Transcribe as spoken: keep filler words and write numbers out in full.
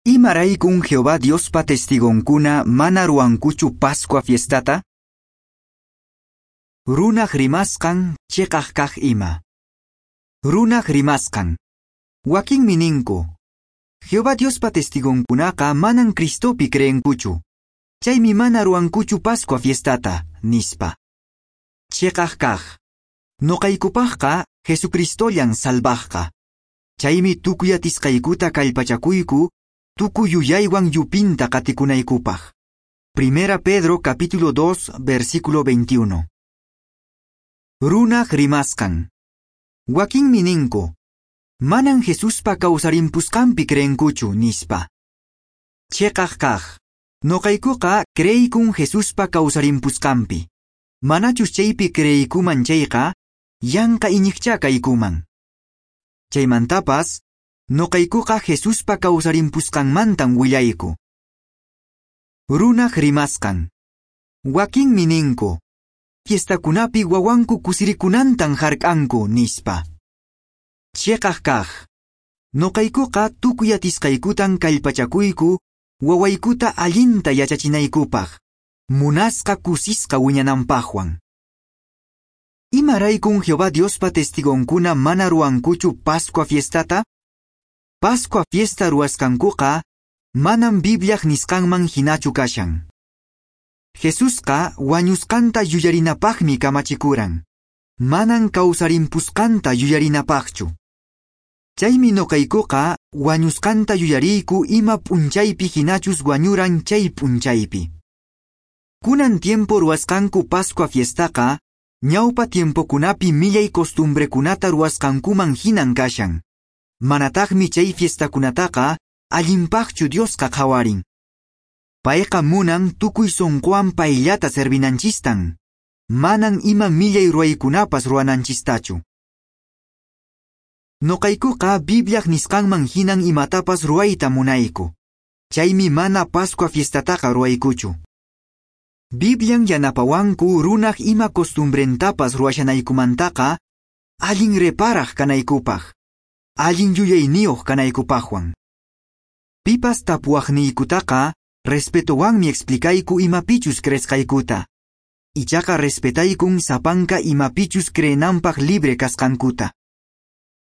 Imaraykun Jehová Diospa testigonkuna mana ruwankuchu Pascua fiestata? Runaq rimasqan chiqaq kaq ima. Runaq rimasqan. Wakinmi ninku, Jehová Diospa testigonkunaqa manan Cristopi creenkuchu. Chaymi mana ruwankuchu Pascua fiestata, nispa. Chiqaq kaq. Nuqaykupaqqa Jesucristollan salvaqqa. Chaymi tukuy atisqaykuta kallpachakuyku, tukuy yuyaywan yupinta qatikunaykupaq. Primera Pedro capítulo dos, versículo veintiuno. Runaq rimasqan. Wakinmi ninku, manan Jesuspa kawsarimpusqanpi creenkuchu, nispa. Chiqaq kaq. Nuqaykuqa creykun Jesuspa kawsarimpusqanpi. Manachus chaypi creeykuman chayqa, yanqa iñiqchá kaykuman. Chaymantapas, nuqaykuqa Jesuspa kawsarimpusqanmantan willayku. Runaq rimasqan. Wakinmi ninku, fiestakunapi wawanku kusirikunantan hark'anku, nispa. Chiqaq kaq. Nuqaykuqa tukuy atisqaykutan kallpachakuyku wawaykuta allinta yachachinaykupaq, munasqa kusisqa wiñananpaqwan. Imaraykun Jehová Diospa testigonkuna mana ruwankuchu Pascua fiestata? Pascua fiesta ruwasqankuqa manam Bibliaq nisqanman hinachu kashan. Jesusqa wañusqanta yuyarinapaqmi kamachikuran, manan kawsarimpusqanta yuyarinapaqchu. Chaymi nuqaykuqa wañusqanta yuyariyku ima p'unchaypi hinachus wañuran chay p'unchaypi. Kunan tiempo ruwasqanku Pascua fiestaqa ñawpa tiempokunapi millay costumbrekunata ruwasqankuman hinan kashan. Manataqmi chay fiestakunataqa allinpaqchu Diosqa qhawarin. Payqa munan tukuy sunquwan payllata servinanchistan. Manan ima millay ruwaykunapas ruwananchistachu. Nuqaykuqa Bibliaq nisqanman hinan imatapas ruwayta munayku. Chaymi mana Pascua fiestataqa ruwaykuchu. Biblian yanapawanku runaq ima costumbrentapas ruwashanaykumantaqa allin reparaq kanaykupaq, allin yuyayniyuq kanaykupaqwan. Pipas tapuwaqniykutaqa respetowanmi explicayku imapichus creesqaykuta. Ichaqa respetaykun sapanka imapichus creenanpaq libre kasqankuta.